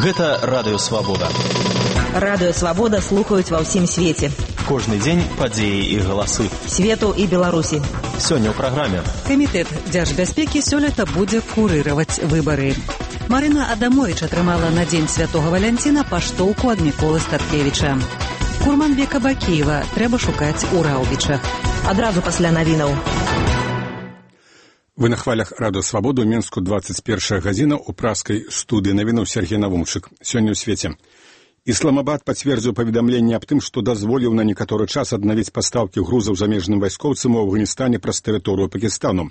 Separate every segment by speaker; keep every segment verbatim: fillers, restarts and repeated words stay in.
Speaker 1: Гэта Радыё Свабода.
Speaker 2: Радыё Свабода слухаюць ва ўсім свеце.
Speaker 1: Кожны дзень падзеі і галасы.
Speaker 2: Свету і Беларусі.
Speaker 1: Сёння ў праграме.
Speaker 3: Камітэт дзяржбяспекі сёлета будзе курыраваць выбары. Марына Адамович атрымала на дзень Святога Валянціна паштоўку ад Міколы Статкевіча. Курманбека Бакіева трэба шукаць у Раўбічах.
Speaker 2: Адразу пасля навінаў.
Speaker 4: Вы на хвалях Радыё Свабода ў Менску двадцать первая гадзіна ў праскай студыі навінаў Сергей Навумчык. Сёння ў свеце. Ісламабад пацвердзіў паведамленне аб тым, што дазволіў на некаторы час аднавіць пастаўкі грузаў замежным вайскоўцам у Афганістане праз тэрыторыю Пакістану.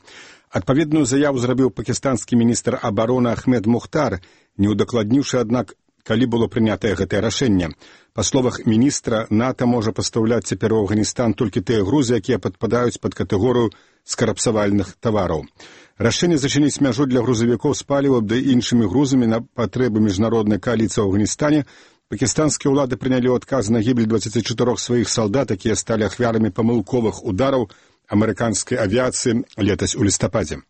Speaker 4: Адпаведную заяву зрабіў пакістанскі міністр абароны Ахмед Мухтар, не ўдакладніўшы, аднак, калі было прынятае гэтае рашэнне. Па словах міністра, НАТО можа пастаўляць цяпер у Афганістан толькі тыя грузы, якія падпадаюць пад катэгорыю скарапсавальных тавараў. Рашэнне зачыніць мяжу для грузавікоў з палівам ды іншымі грузамі на патрэбы міжнароднай кааліцыі ў Афганістане. Пакістанскія ўлады прынялі адказ на гібель дваццаці чатырох сваіх салдат, якія сталі ахвярамі памылковых удараў амерыканскай авіяцыі летась у лістападзе.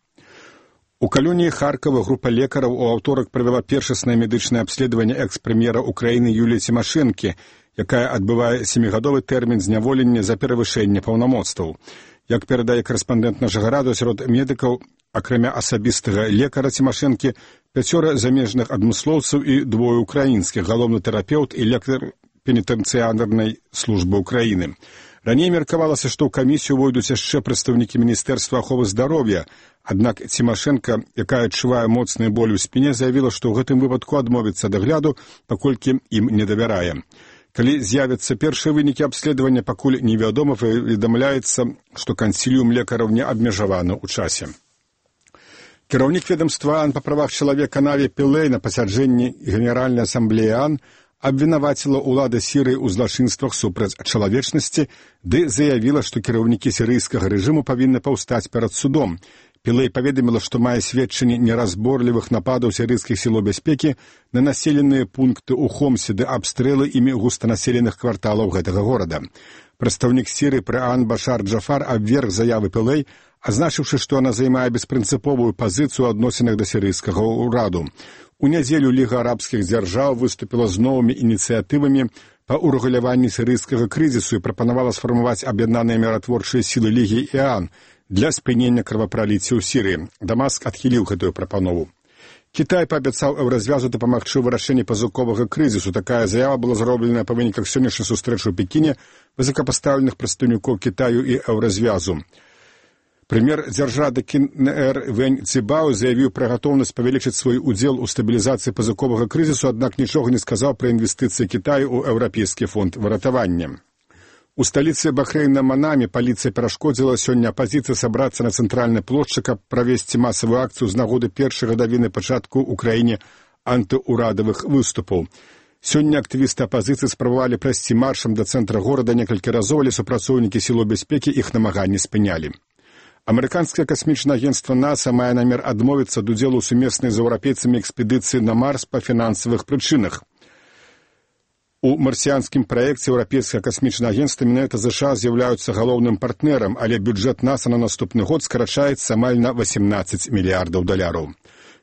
Speaker 4: У калоніі Харкова група лекараў у аўторак правяла першаснае медычнае абследаванне экс-прэм'ера Украіны Юліі Цімашэнкі, якая адбывае сямігадовы тэрмін зняволення за перавышэнне паўнамоцтваў. Як перадае карэспандэнт нашага радыё, сярод медыкаў, акрамя асабістага лекара Цімашэнкі, пяцёра замежных адмыслоўцаў і двое украінскіх, галоўны тэрапеўт і лекар пенітэнцыярнай службы Украіны. Раней меркавалася, што ў камісію войдуць яшчэ прадстаўнікі Міністэрства аховы здароўя, аднак Цімашэнка, якая адчувае моцны боль у спіне, заявіла, што ў гэтым выпадку адмовіцца ад агляду, паколькі ім не давярае. Калі з'явяцца першыя вынікі абследавання, пакуль невядома, паведамляецца, што кансіліум лекараў не абмежаваны ў часе. Кіраўнік ведомства ААН па правах чалавека Наві Пілэй на пасяджэнні Генеральнай асамблеі ААН абвінаваціла ўлады Сірыі ў злачынствах супраць чалавечнасці, ды заявіла, што кіраўнікі сірыйскага рэжыму павінны паўстаць перад судом. Пілэй паведаміла, што мае сведчанні неразборлівых нападаў сірыйскіх сілаў бяспекі на населеныя пункты ў Хомсе ды абстрэлы імі густанаселеных кварталаў гэтага горада. Прадстаўнік Сірыі пры ААН Башар Джафар абверг заявы Пілэй, азначыўшы, што яна займае беспрынцыповую пазіцыю ў адносінах да сірыйскага ўраду. У нядзелю Ліга арабскіх дзяржаў выступіла з новымі ініцыятывамі па ўрэгуляванні сірыйскага крызісу і прапанавала сфармаваць аб'яднаныя міратворчыя сілы Лігі і ААН для спынення крывапраліцця ў Сірыі. Дамаск адхіліў гэтую прапанову. Кітай паабяцаў еўразвязу дапамагчы ў вырашэнні пазыковага крызісу. Такая заява была зроблена па выніках сённяшняй сустрэчы ў Пекіне высокапастаўленых прадстаўнікоў Кітаю і еўразвязу. Прэм'ер дзяржавы КНР Вэнь Цібао заявіў пра гатоўнасць павялічыць свой удзел у стабілізацыі пазыковага крызісу, аднак нічога не сказаў пра інвестыцыі Кітаю ў еўрапейскі фонд выратавання. У сталіцы Бахрэйна Манаме паліцыя перашкодзіла сёння апазіцыі сабрацца на цэнтральнай плошчы, каб правесці масавую акцыю з нагоды першай гадавіны пачатку ў краіне антыурадавых выступаў. Сёння актывісты апазіцыі спрабавалі прайсці маршам да цэнтра горада некалькі разоў, але супрацоўнікі сілаў бяспекі іх намаганні спынялі. Амерыканскае касмічнае агенцтва НАСА мае намер адмовіцца ад удзелу ў сумеснай з еўрапейцамі экспедыцыі на Марс па фінансавых прычынах. У марсіянскім праекце еўрапейскае касмічнае агенцтва менавіта ЗША з'яўляюцца галоўным партнерам, але бюджэт НАСА на наступны год скарачаецца амаль на восемнадцаць мільярдаў даляраў.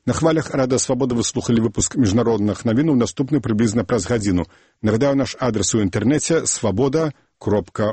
Speaker 4: На хвалях Радыё Свабода вы слухалі выпуск міжнародных навінаў, наступны прыблізна праз гадзіну. Нагадаю, наш адрес у інтэрнэце свабода кропка